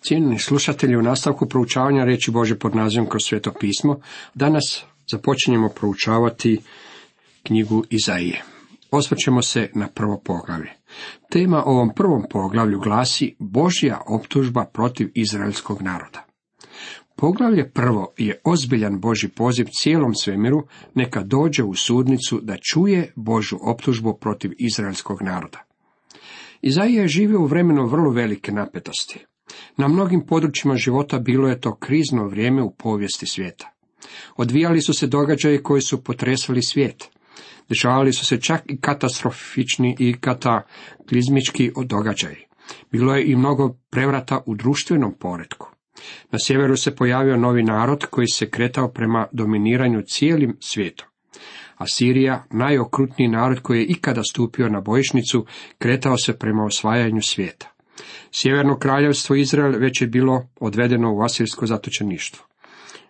Cijenjeni slušatelji, u nastavku proučavanja riječi Božje pod nazivom Kroz sveto pismo, danas započinjemo proučavati knjigu Izaije. Osvrćemo se na prvo poglavlje. Tema ovom prvom poglavlju glasi Božja optužba protiv izraelskog naroda. Poglavlje prvo je ozbiljan Božji poziv cijelom svemiru neka dođe u sudnicu da čuje Božju optužbu protiv izraelskog naroda. Izaija je živio u vremenu vrlo velike napetosti. Na mnogim područjima života bilo je to krizno vrijeme u povijesti svijeta. Odvijali su se događaji koji su potresali svijet. Dešavali su se čak i katastrofični i kataklizmički događaji. Bilo je i mnogo prevrata u društvenom poretku. Na sjeveru se pojavio novi narod koji se kretao prema dominiranju cijelim svijetom. Asirija, najokrutniji narod koji je ikada stupio na bojišnicu, kretao se prema osvajanju svijeta. Sjeverno kraljevstvo Izrael već je bilo odvedeno u asirsko zatočeništvo.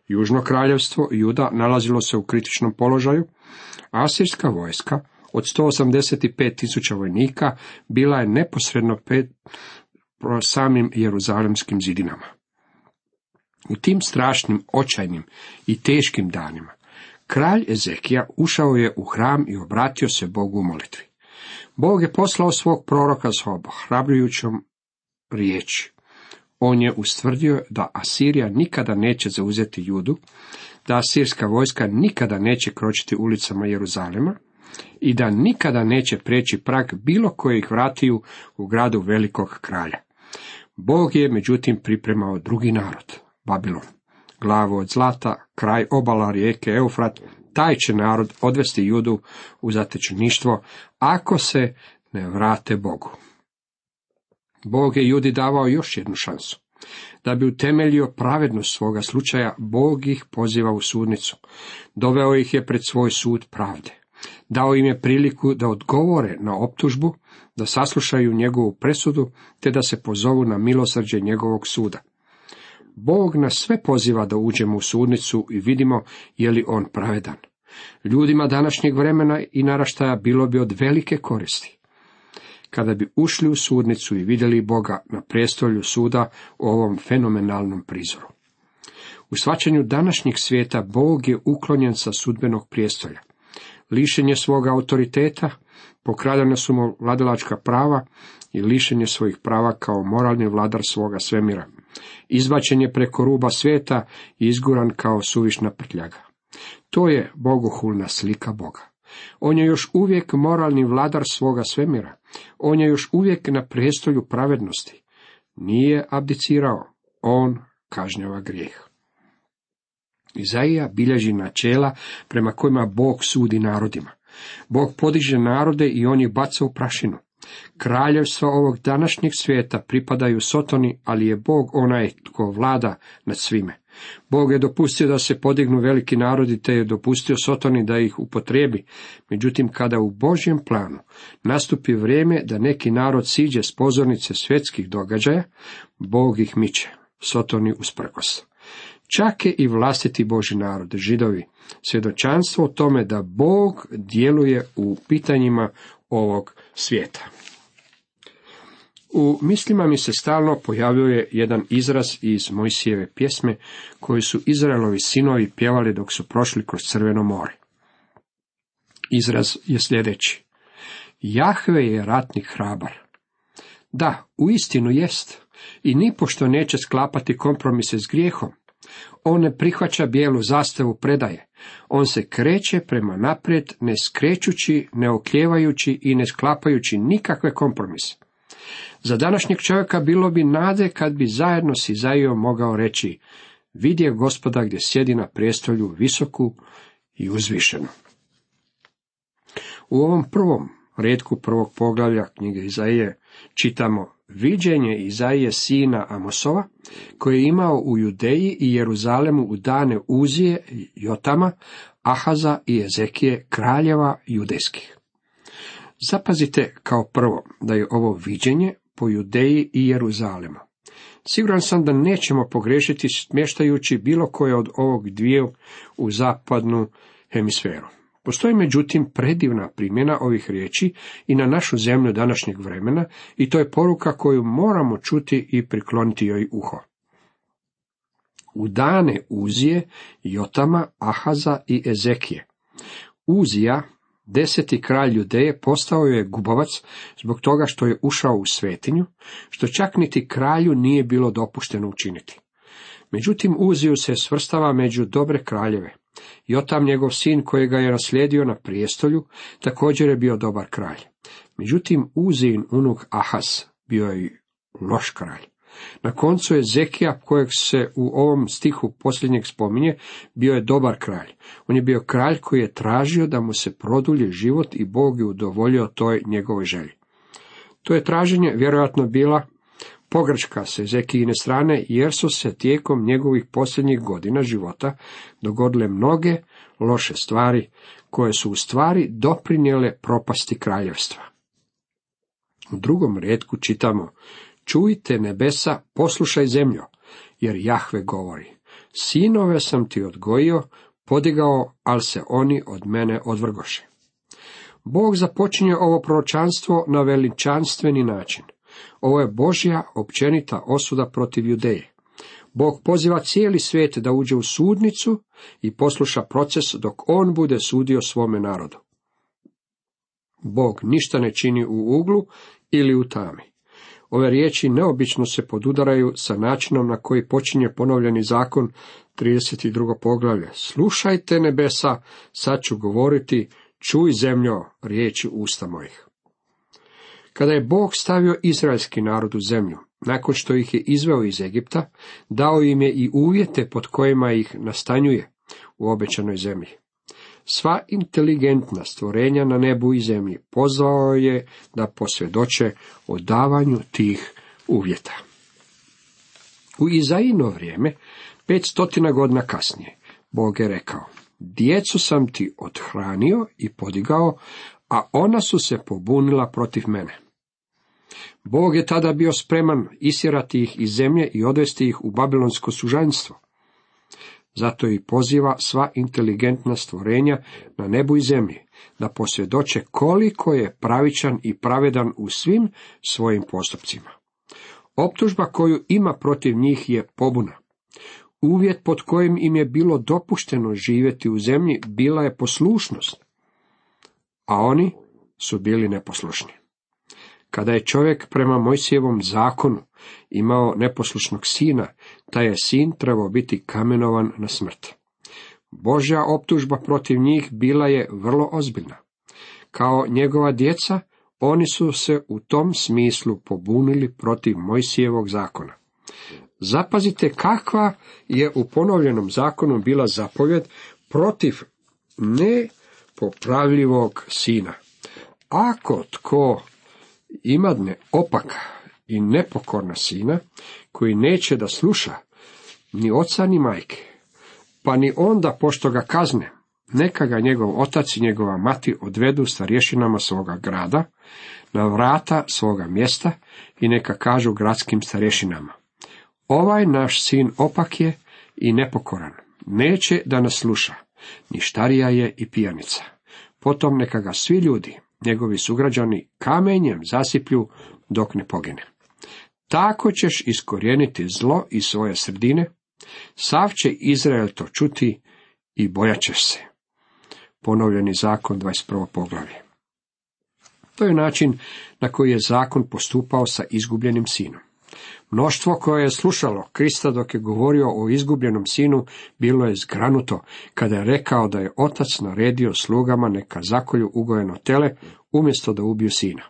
Južno kraljevstvo Juda nalazilo se u kritičnom položaju, a asirska vojska od 185.000 vojnika bila je neposredno pred samim jeruzalemskim zidinama. U tim strašnim, očajnim i teškim danima kralj Ezekija ušao je u hram i obratio se Bogu u molitvi. Bog je poslao svog proroka s ohrabrujućom riječi. On je ustvrdio da Asirija nikada neće zauzeti Judu, da asirska vojska nikada neće kročiti ulicama Jeruzalema i da nikada neće preći prag bilo kojih vratiju u gradu velikog kralja. Bog je međutim pripremao drugi narod, Babilon. Glavu od zlata, kraj obala rijeke Eufrat, taj će narod odvesti Judu u zatečeništvo ako se ne vrate Bogu. Bog je Judi davao još jednu šansu. Da bi utemeljio pravednost svoga slučaja, Bog ih poziva u sudnicu. Doveo ih je pred svoj sud pravde. Dao im je priliku da odgovore na optužbu, da saslušaju njegovu presudu, te da se pozovu na milosrđe njegovog suda. Bog nas sve poziva da uđemo u sudnicu i vidimo je li on pravedan. Ljudima današnjeg vremena i naraštaja bilo bi od velike koristi kada bi ušli u sudnicu i vidjeli Boga na prijestolju suda u ovom fenomenalnom prizoru. U shvaćanju današnjeg svijeta Bog je uklonjen sa sudbenog prijestolja. Lišen je svoga autoriteta, pokradena su mu vladalačka prava i lišen je svojih prava kao moralni vladar svoga svemira. Izbačen je preko ruba svijeta i izguran kao suvišna prtljaga. To je bogohulna slika Boga. On je još uvijek moralni vladar svoga svemira. On je još uvijek na prijestolju pravednosti. Nije abdicirao. On kažnjava grijeh. Izaija bilježi načela prema kojima Bog sudi narodima. Bog podiže narode i on ih baca u prašinu. Kraljevstva ovog današnjeg svijeta pripadaju Sotoni, ali je Bog onaj tko vlada nad svime. Bog je dopustio da se podignu veliki narodi, te je dopustio Sotoni da ih upotrijebi. Međutim, kada u Božjem planu nastupi vrijeme da neki narod siđe s pozornice svjetskih događaja, Bog ih miče, Sotoni usprkos. Čak je i vlastiti Božji narod, Židovi, svjedočanstvo o tome da Bog djeluje u pitanjima ovog svijeta. U mislima mi se stalno pojavljuje jedan izraz iz Mojsijeve pjesme koju su Izraelovi sinovi pjevali dok su prošli kroz Crveno more. Izraz je sljedeći. Jahve je ratnik hrabar. Da, uistinu jest. I nipošto neće sklapati kompromise s grijehom. On ne prihvaća bijelu zastavu predaje. On se kreće prema naprijed, ne skrećući, ne okljevajući i ne sklapajući nikakve kompromise. Za današnjeg čovjeka bilo bi nade kad bi zajedno s Izaijom mogao reći, vidje Gospoda gdje sjedi na prijestolju visoku i uzvišenu. U ovom prvom retku prvog poglavlja knjige Izaije čitamo viđenje Izaije sina Amosova, koji je imao u Judeji i Jeruzalemu u dane Uzije, Jotama, Ahaza i Ezekije, kraljeva judejskih. Zapazite kao prvo da je ovo viđenje po Judeji i Jeruzalemu. Siguran sam da nećemo pogriješiti smještajući bilo koje od ovog dviju u zapadnu hemisferu. Postoji međutim predivna primjena ovih riječi i na našu zemlju današnjeg vremena i to je poruka koju moramo čuti i prikloniti joj uho. U dane Uzije, Jotama, Ahaza i Ezekije. Uzija, 10. kralj Judeje, postao je gubavac zbog toga što je ušao u svetinju, što čak niti kralju nije bilo dopušteno učiniti. Međutim, Uziju se svrstava među dobre kraljeve. Jotam, njegov sin koji ga je naslijedio na prijestolju, također je bio dobar kralj. Međutim, Uzijin unuk Ahaz bio je loš kralj. Na koncu je Ezekija, kojeg se u ovom stihu posljednjeg spominje, bio je dobar kralj. On je bio kralj koji je tražio da mu se produlji život i Bog je udovoljio toj njegovoj želji. To je traženje vjerojatno bila pogreška s Ezekijine strane, jer su se tijekom njegovih posljednjih godina života dogodile mnoge loše stvari, koje su u stvari doprinijele propasti kraljevstva. U drugom retku čitamo: čujte nebesa, poslušaj zemljo, jer Jahve govori: sinove sam ti odgojio, podigao, ali se oni od mene odvrgoše. Bog započinje ovo proročanstvo na veličanstveni način. Ovo je Božja općenita osuda protiv Judeje. Bog poziva cijeli svijet da uđe u sudnicu i posluša proces dok on bude sudio svome narodu. Bog ništa ne čini u uglu ili u tami. Ove riječi neobično se podudaraju sa načinom na koji počinje ponovljeni zakon, 32. poglavlje. Slušajte nebesa, sad ću govoriti, čuj zemljo riječi usta mojih. Kada je Bog stavio izraelski narod u zemlju, nakon što ih je izveo iz Egipta, dao im je i uvjete pod kojima ih nastanjuje u obećanoj zemlji. Sva inteligentna stvorenja na nebu i zemlji pozvao je da posvjedoče o davanju tih uvjeta. U Izaijino vrijeme, 500 godina kasnije, Bog je rekao: djecu sam ti othranio i podigao, a ona su se pobunila protiv mene. Bog je tada bio spreman isjerati ih iz zemlje i odvesti ih u babilonsko sužanjstvo. Zato i poziva sva inteligentna stvorenja na nebu i zemlji da posvjedoče koliko je pravičan i pravedan u svim svojim postupcima. Optužba koju ima protiv njih je pobuna. Uvjet pod kojim im je bilo dopušteno živjeti u zemlji bila je poslušnost, a oni su bili neposlušni. Kada je čovjek prema Mojsijevom zakonu imao neposlušnog sina, taj je sin trebao biti kamenovan na smrt. Božja optužba protiv njih bila je vrlo ozbiljna. Kao njegova djeca, oni su se u tom smislu pobunili protiv Mojsijevog zakona. Zapazite kakva je u ponovljenom zakonu bila zapovjed protiv nepopravljivog sina. Ako tko imadne opaka i nepokorna sina, koji neće da sluša ni oca ni majke, pa ni onda pošto ga kazne, neka ga njegov otac i njegova mati odvedu starješinama svoga grada, na vrata svoga mjesta i neka kažu gradskim starješinama: ovaj naš sin opak je i nepokoran, neće da nas sluša, ništarija je i pijanica. Potom neka ga svi ljudi, njegovi sugrađani, kamenjem zasiplju dok ne pogine. Tako ćeš iskorijeniti zlo iz svoje sredine, sav će Izrael to čuti i bojat ćeš se. Ponovljeni zakon, 21. poglavlje. To je način na koji je zakon postupao sa izgubljenim sinom. Mnoštvo koje je slušalo Krista dok je govorio o izgubljenom sinu bilo je zgranuto kada je rekao da je otac naredio slugama neka zakolju ugojeno tele umjesto da ubiju sina.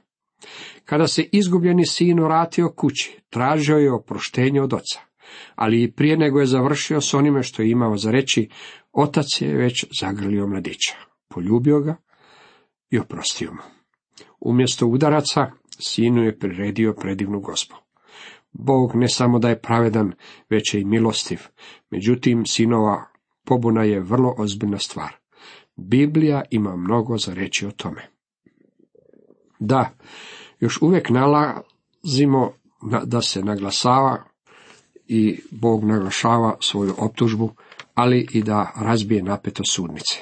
Kada se izgubljeni sin vratio kući, tražio je oproštenje od oca, ali i prije nego je završio s onime što je imao za reći, otac je već zagrlio mladića, poljubio ga i oprostio mu. Umjesto udaraca, sinu je priredio predivnu gozbu. Bog ne samo da je pravedan, već je i milostiv. Međutim, sinova pobuna je vrlo ozbiljna stvar. Biblija ima mnogo za reći o tome. Da, još uvijek nalazimo da se naglasava i Bog naglašava svoju optužbu, ali i da razbije napetost sudnice.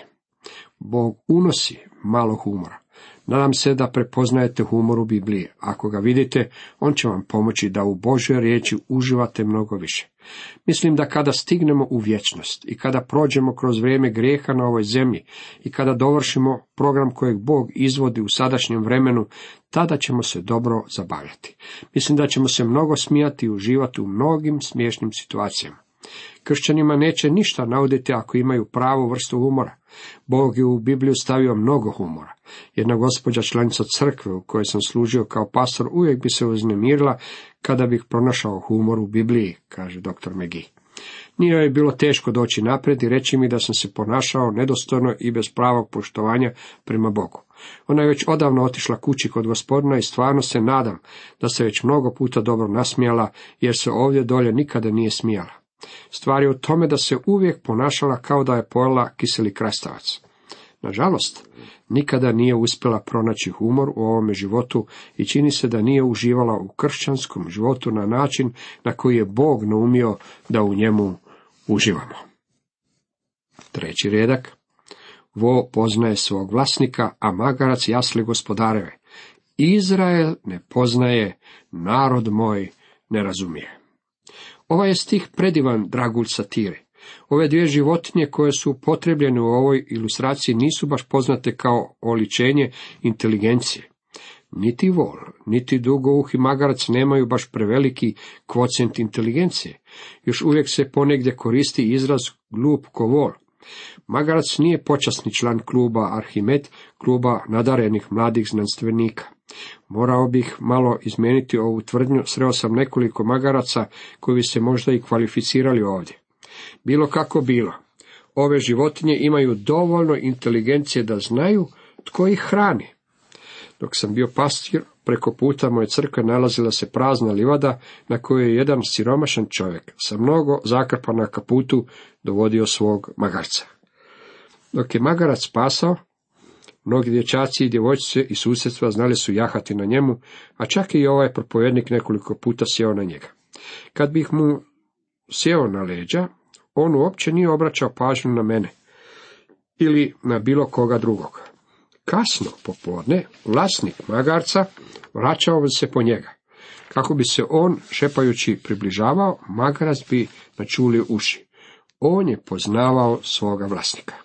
Bog unosi malo humora. Nadam se da prepoznajete humor u Bibliji. Ako ga vidite, on će vam pomoći da u Božoj riječi uživate mnogo više. Mislim da kada stignemo u vječnost i kada prođemo kroz vrijeme grijeha na ovoj zemlji i kada dovršimo program kojeg Bog izvodi u sadašnjem vremenu, tada ćemo se dobro zabavljati. Mislim da ćemo se mnogo smijati i uživati u mnogim smiješnim situacijama. Kršćanima neće ništa nauditi ako imaju pravu vrstu humora. Bog je u Bibliju stavio mnogo humora. Jedna gospođa, članica crkve u kojoj sam služio kao pastor, uvijek bi se uznemirila kada bih pronašao humor u Bibliji, kaže dr. McGee. Nije joj bilo teško doći naprijed i reći mi da sam se ponašao nedostojno i bez pravog poštovanja prema Bogu. Ona je već odavno otišla kući kod Gospodina i stvarno se nadam da se već mnogo puta dobro nasmijala, jer se ovdje dolje nikada nije smijala. Stvar je u tome da se uvijek ponašala kao da je pojela kiseli krastavac. Nažalost, nikada nije uspjela pronaći humor u ovome životu i čini se da nije uživala u kršćanskom životu na način na koji je Bog naumio da u njemu uživamo. 3. redak. Vo poznaje svog vlasnika, a magarac jasli gospodareve. Izrael ne poznaje, narod moj ne razumije. Ovaj je stih predivan dragulj satire. Ove dvije životinje koje su upotrebljene u ovoj ilustraciji nisu baš poznate kao oličenje inteligencije. Niti vol, niti dugouhi magarac nemaju baš preveliki kvocijent inteligencije. Još uvijek se ponegdje koristi izraz glup ko vol. Magarac nije počasni član kluba Arhimed, kluba nadarenih mladih znanstvenika. Morao bih malo izmijeniti ovu tvrdnju, sreo sam nekoliko magaraca koji bi se možda i kvalificirali ovdje. Bilo kako bilo, ove životinje imaju dovoljno inteligencije da znaju tko ih hrani. Dok sam bio pastir, preko puta moje crkve nalazila se prazna livada na kojoj je jedan siromašan čovjek sa mnogo zakrpa na kaputu dovodio svog magarca. Dok je magarac pasao, mnogi dječaci i djevojčice iz susjedstva znali su jahati na njemu, a čak i ovaj propovjednik nekoliko puta sjeo na njega. Kad bih mu sjeo na leđa, on uopće nije obraćao pažnju na mene ili na bilo koga drugog. Kasno popodne vlasnik magarca vraćao bi se po njega. Kako bi se on šepajući približavao, magarac bi načulio uši. On je poznavao svoga vlasnika.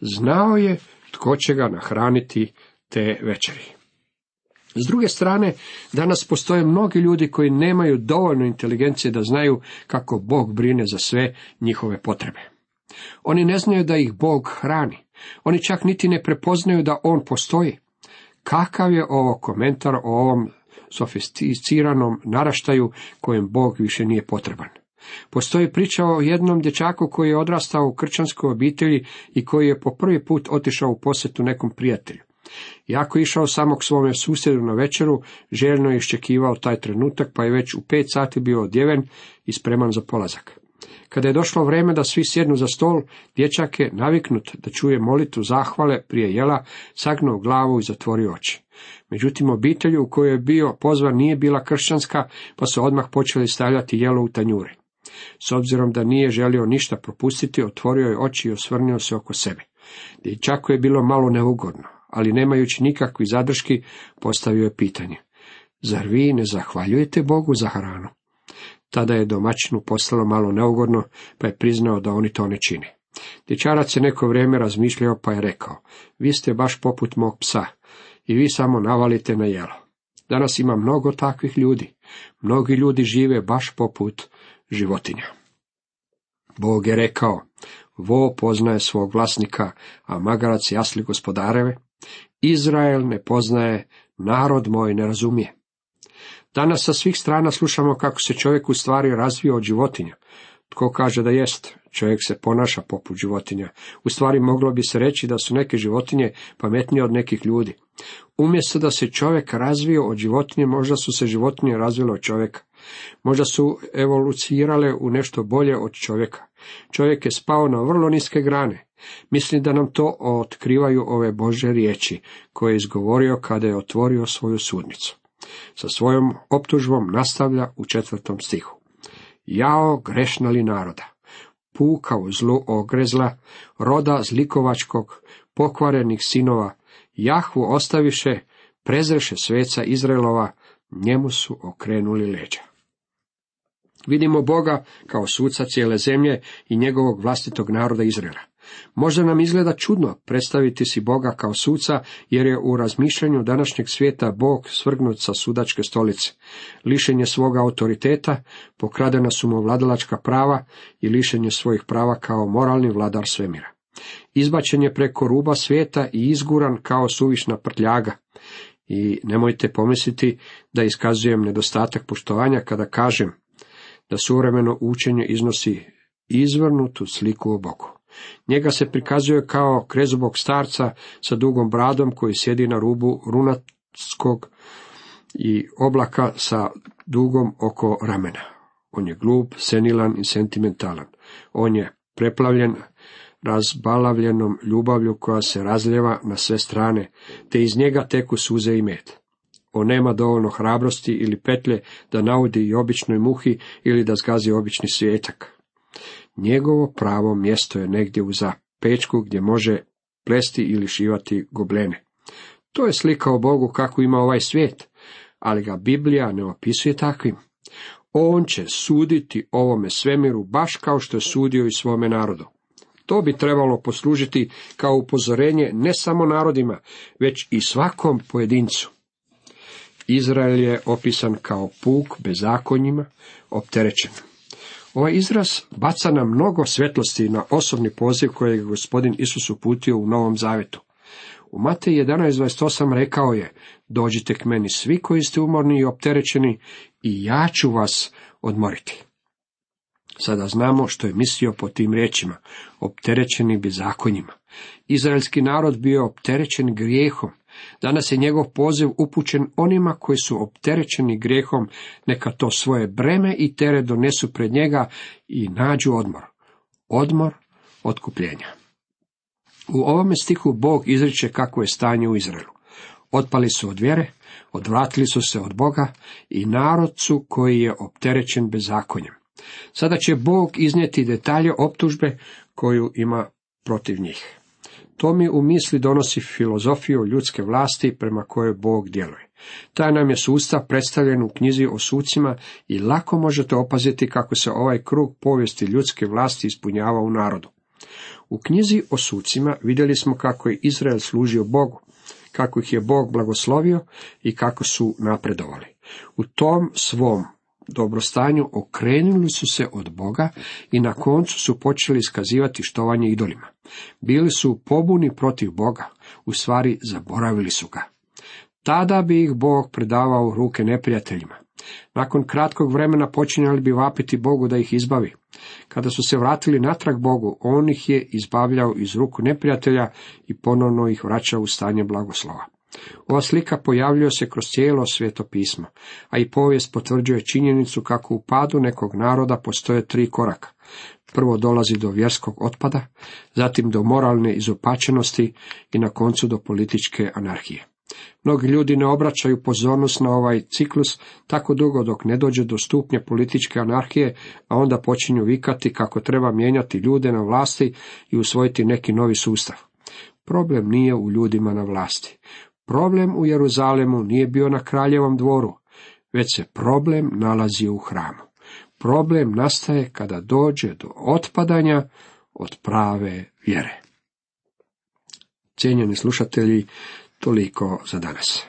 Znao je tko će ga nahraniti te večeri. S druge strane, danas postoje mnogi ljudi koji nemaju dovoljno inteligencije da znaju kako Bog brine za sve njihove potrebe. Oni ne znaju da ih Bog hrani. Oni čak niti ne prepoznaju da On postoji. Kakav je ovo komentar o ovom sofisticiranom naraštaju kojem Bog više nije potreban? Postoji priča o jednom dječaku koji je odrastao u kršćanskoj obitelji i koji je po prvi put otišao u posjetu nekom prijatelju. Jako je išao samo k svome susjedu na večeru, željno je iščekivao taj trenutak, pa je već u 5 sati bio odjeven i spreman za polazak. Kada je došlo vrijeme da svi sjednu za stol, dječak je, naviknut da čuje molitvu zahvale prije jela, sagnuo glavu i zatvorio oči. Međutim, obitelj u kojoj je bio pozvan nije bila kršćanska, pa su odmah počeli stavljati jelo u tanjure. S obzirom da nije želio ništa propustiti, otvorio je oči i osvrnuo se oko sebe. Dječaku je bilo malo neugodno, ali nemajući nikakvi zadrški, postavio je pitanje: zar vi ne zahvaljujete Bogu za hranu? Tada je domaćinu postalo malo neugodno, pa je priznao da oni to ne čine. Dječarac je neko vrijeme razmišljao, pa je rekao: vi ste baš poput mog psa i vi samo navalite na jelo. Danas ima mnogo takvih ljudi. Mnogi ljudi žive baš poput životinja. Bog je rekao: vo poznaje svog vlasnika, a magarac jasli gospodareve. Izrael ne poznaje, narod moj ne razumije. Danas sa svih strana slušamo kako se čovjek u stvari razvio od životinja. Tko kaže da jest? Čovjek se ponaša poput životinja. U stvari moglo bi se reći da su neke životinje pametnije od nekih ljudi. Umjesto da se čovjek razvio od životinje, možda su se životinje razvile od čovjeka. Možda su evolucionirale u nešto bolje od čovjeka. Čovjek je spao na vrlo niske grane. Mislim da nam to otkrivaju ove Božje riječi koje je izgovorio kada je otvorio svoju sudnicu. Sa svojom optužbom nastavlja u 4. stihu. Jao grešna li naroda, puka u zlu ogrezla, roda zlikovačkog, pokvarenih sinova, Jahvu ostaviše, prezreše sveca Izraelova, njemu su okrenuli leđa. Vidimo Boga kao suca cijele zemlje i njegovog vlastitog naroda Izraela. Možda nam izgleda čudno predstaviti si Boga kao suca, jer je u razmišljanju današnjeg svijeta Bog svrgnut sa sudačke stolice. Lišen je svoga autoriteta, pokradena su mu vladalačka prava i lišen je svojih prava kao moralni vladar svemira. Izbačen je preko ruba svijeta i izguran kao suvišna prtljaga. I nemojte pomisliti da iskazujem nedostatak poštovanja kada kažem da suvremeno učenje iznosi izvrnutu sliku o Bogu. Njega se prikazuje kao krezubog starca sa dugom bradom koji sjedi na rubu runatskog i oblaka sa dugom oko ramena. On je glup, senilan i sentimentalan. On je preplavljen razbalavljenom ljubavlju koja se razljeva na sve strane, te iz njega teku suze i med. On nema dovoljno hrabrosti ili petlje da naudi i običnoj muhi ili da zgazi obični svijetak. Njegovo pravo mjesto je negdje u zapečku gdje može plesti ili šivati goblene. To je slika o Bogu kako ima ovaj svijet, ali ga Biblija ne opisuje takvim. On će suditi ovome svemiru baš kao što je sudio i svome narodu. To bi trebalo poslužiti kao upozorenje ne samo narodima, već i svakom pojedincu. Izrael je opisan kao puk bezakonjima, opterećen. Ovaj izraz baca nam mnogo svjetlosti na osobni poziv kojeg je gospodin Isus uputio u Novom Zavetu. U Mateji 11:28 rekao je: dođite k meni svi koji ste umorni i opterećeni i ja ću vas odmoriti. Sada znamo što je mislio po tim riječima, opterećeni bezakonjima. Izraelski narod bio opterećen grijehom. Danas je njegov poziv upućen onima koji su opterećeni grijehom, neka to svoje breme i teret donesu pred njega i nađu odmor. Odmor otkupljenja. U ovome stihu Bog izriče kako je stanje u Izraelu. Otpali su od vjere, odvratili su se od Boga i narod su koji je opterećen bezakonjem. Sada će Bog iznijeti detalje optužbe koju ima protiv njih. To mi u misli donosi filozofiju ljudske vlasti prema kojoj Bog djeluje. Taj nam je sustav predstavljen u knjizi o sucima i lako možete opaziti kako se ovaj krug povijesti ljudske vlasti ispunjava u narodu. U knjizi o sucima vidjeli smo kako je Izrael služio Bogu, kako ih je Bog blagoslovio i kako su napredovali. U tom svom dobrostanju okrenuli su se od Boga i na koncu su počeli iskazivati štovanje idolima. Bili su u pobuni protiv Boga, u stvari zaboravili su ga. Tada bi ih Bog predavao u ruke neprijateljima. Nakon kratkog vremena počinjali bi vapiti Bogu da ih izbavi. Kada su se vratili natrag Bogu, on ih je izbavljao iz ruku neprijatelja i ponovno ih vraćao u stanje blagoslova. Ova slika pojavljuje se kroz cijelo Sveto pismo, a i povijest potvrđuje činjenicu kako u padu nekog naroda postoje 3 koraka. Prvo dolazi do vjerskog otpada, zatim do moralne izopačenosti i na koncu do političke anarhije. Mnogi ljudi ne obraćaju pozornost na ovaj ciklus tako dugo dok ne dođe do stupnja političke anarhije, a onda počinju vikati kako treba mijenjati ljude na vlasti i usvojiti neki novi sustav. Problem nije u ljudima na vlasti. Problem u Jeruzalemu nije bio na kraljevom dvoru, već se problem nalazi u hramu. Problem nastaje kada dođe do otpadanja od prave vjere. Cijenjeni slušatelji, toliko za danas.